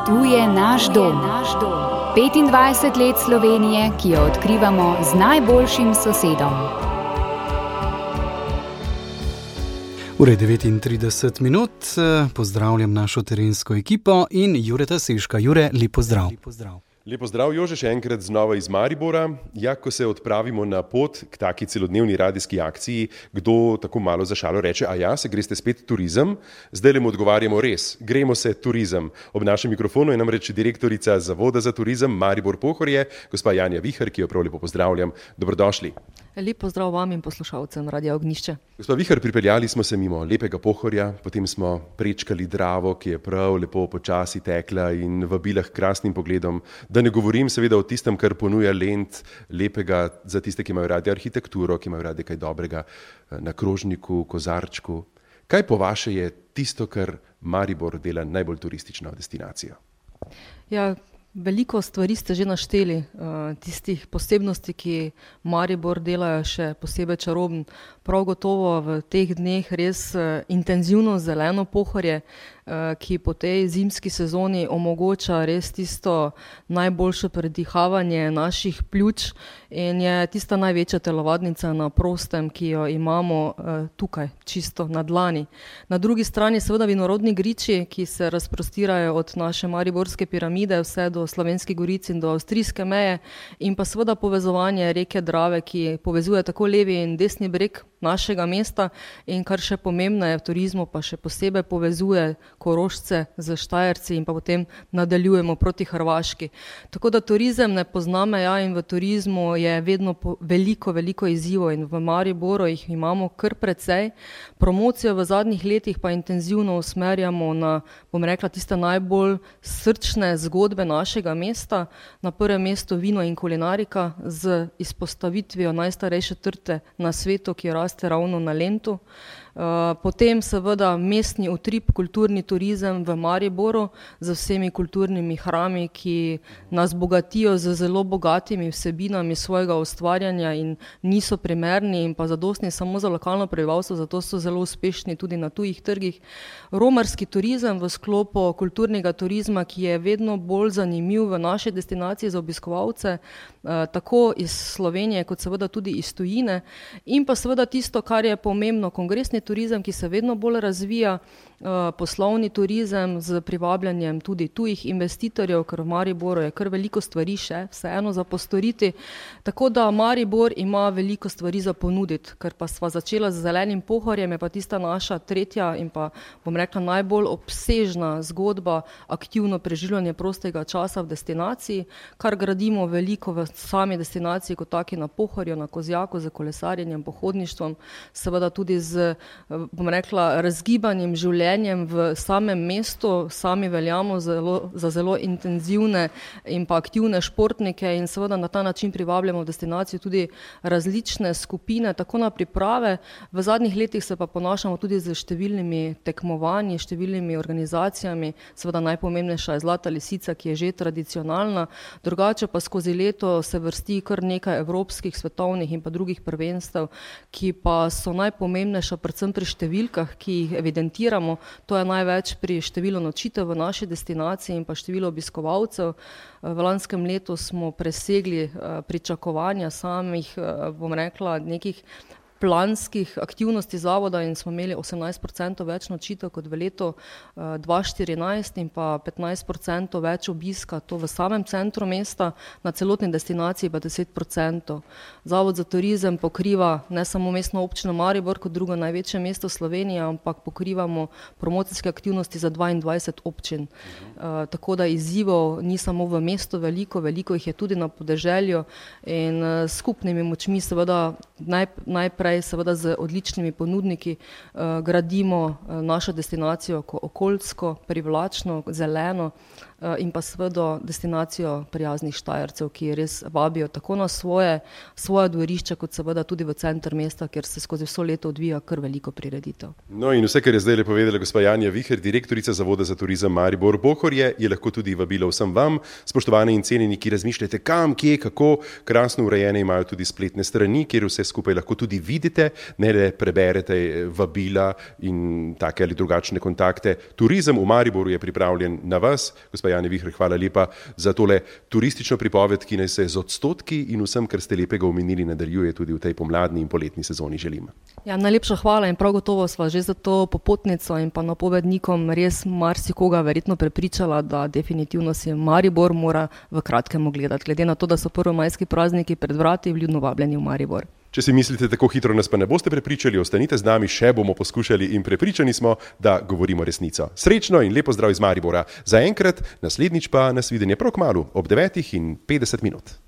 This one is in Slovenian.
Tu je naš dom. 25 let Slovenije, ki jo odkrivamo z najboljšim sosedom. Ure 39 minut, pozdravljam našo terensko ekipo in Jureta Seška. Jure, lep pozdrav. Lep pozdrav, Jože, še enkrat znova iz Maribora. Ja, ko se odpravimo na pot k taki celodnevni radijski akciji, kdo tako malo za šalo reče, a ja, se greste spet turizem? Zdaj le mu odgovarjamo res, gremo se turizem. Ob našem mikrofonu je namreč direktorica Zavoda za turizem Maribor Pohorje, gospa Janja Vihar, ki jo prav lepo pozdravljam. Dobrodošli. Lep pozdrav vam in poslušalcem Radia Ognjišče. Gospa Vihar, pripeljali smo se mimo lepega Pohorja, potem smo prečkali Dravo, ki je prav lepo počasi tekla in vabila k krasnim pogledom. Da ne govorim seveda o tistem, kar ponuja Lent, lepega za tiste, ki imajo radi arhitekturo, ki imajo radi kaj dobrega na krožniku, kozarčku. Kaj po vaše je tisto, kar Maribor dela najbolj turistično destinacijo? Ja, veliko stvari ste že našteli, tistih posebnosti, ki Maribor delajo še posebej čaroben. Prav gotovo v teh dneh res intenzivno zeleno Pohorje, ki po tej zimski sezoni omogoča res tisto najboljše predihavanje naših pljuč in je tista največja telovadnica na prostem, ki jo imamo tukaj, čisto na dlani. Na drugi strani seveda vinorodni griči, ki se razprostirajo od naše Mariborske piramide vse do Slovenskih goric in do avstrijske meje, in pa seveda povezovanje reke Drave, ki povezuje tako levi in desni breg našega mesta in kar še pomembneje v turizmu, pa še posebej povezuje Korošce z Štajerci in pa potem nadaljujemo proti Hrvaški. Tako da turizem ne pozna meja in v turizmu je vedno veliko izzivov in v Mariboru jih imamo kar precej. Promocijo v zadnjih letih pa intenzivno usmerjamo na, bom rekla, tiste najbolj srčne zgodbe našega mesta. Na prvem mestu vino in kulinarika z izpostavitvijo najstarejše trte na svetu, ki raste ravno na Lentu. Potem seveda mestni utrip, kulturni turizem v Mariboru z vsemi kulturnimi hrami, ki nas bogatijo z zelo bogatimi vsebinami svojega ustvarjanja in niso primerni in pa zadostni samo za lokalno prebivalstvo, zato so zelo uspešni tudi na tujih trgih. Romarski turizem v sklopu kulturnega turizma, ki je vedno bolj zanimiv v naši destinaciji za obiskovalce, tako iz Slovenije kot seveda tudi iz tujine, in pa seveda tisto, kar je pomembno, kongresni turizem, ki se vedno bolj razvija, poslovni turizem z privabljanjem tudi tujih investitorjev, ker v Mariboru je kar veliko stvari še vseeno za postoriti. Tako da Maribor ima veliko stvari za ponuditi, ker pa sva začela z zelenim Pohorjem, je pa tista naša tretja in pa, bom rekla, najbolj obsežna zgodba aktivno preživljanje prostega časa v destinaciji, kar gradimo veliko v sami destinaciji kot taki na Pohorju, na Kozjaku, z kolesarjenjem, pohodništvom, seveda tudi z, bom rekla, razgibanjem življenjem v samem mestu. Sami veljamo za zelo intenzivne in pa aktivne športnike in seveda na ta način privabljamo v destinacijo tudi različne skupine, tako na priprave. V zadnjih letih se pa ponašamo tudi z številnimi tekmovanji, številnimi organizacijami, seveda najpomembnejša je Zlata lisica, ki je že tradicionalna, drugače pa skozi leto se vrsti kar nekaj evropskih, svetovnih in pa drugih prvenstev, ki pa so najpomembnejša predvsem pri številkah, ki jih evidentiramo. To je največ pri številu nočitev v naši destinaciji in pa število obiskovalcev. V lanskem letu smo presegli pričakovanja samih, bom rekla, nekih planskih aktivnosti zavoda in smo imeli 18% več nočitev kot v letu 2014 in pa 15% več obiska, to v samem centru mesta, na celotni destinaciji pa 10%. Zavod za turizem pokriva ne samo mestno občino Maribor kot drugo največje mesto Slovenije, ampak pokrivamo promocijske aktivnosti za 22 občin. Tako da izzivov ni samo v mestu veliko jih je tudi na podeželju in skupnimi močmi seveda najprej seveda z odličnimi ponudniki gradimo našo destinacijo okoljsko, privlačno, zeleno in pa seveda destinacijo prijaznih Štajercev, ki res vabijo tako na svoje dvorišča, kot seveda tudi v center mesta, kjer se skozi vso leto odvija kar veliko prireditev. No in vse, kar je zdaj povedala gospa Janja Vihar, direktorica Zavoda za turizem Maribor Pohorje, je lahko tudi vabilo vsem vam, spoštovani in cenjeni, ki razmišljate kam, kje, kako. Krasno urejene imajo tudi spletne strani, kjer vse skupaj lahko tudi vidite, ne le preberete vabila in take ali drugačne kontakte. Turizem v Mariboru je pripravljen na vas. Gospa Janja Vihr, hvala lepa za tole turistično pripoved, ki naj se z odstotki in vsem, kar ste lepega omenili, nadaljuje tudi v tej pomladni in poletni sezoni. Želim. Ja, najlepša hvala in prav gotovo sva že za to popotnico in pa napovednikom res marsikoga verjetno prepričala, da definitivno si Maribor mora v kratkem ogledati. Glede na to, da so prvomajski prazniki pred vrati, vljudno vabljeni v Maribor. Če si mislite, tako hitro nas pa ne boste prepričali, ostanite z nami, še bomo poskušali in prepričani smo, da govorimo resnico. Srečno in lepo zdrav iz Maribora. Zaenkrat, naslednjič pa nas videnje prav kmalu ob 9:50.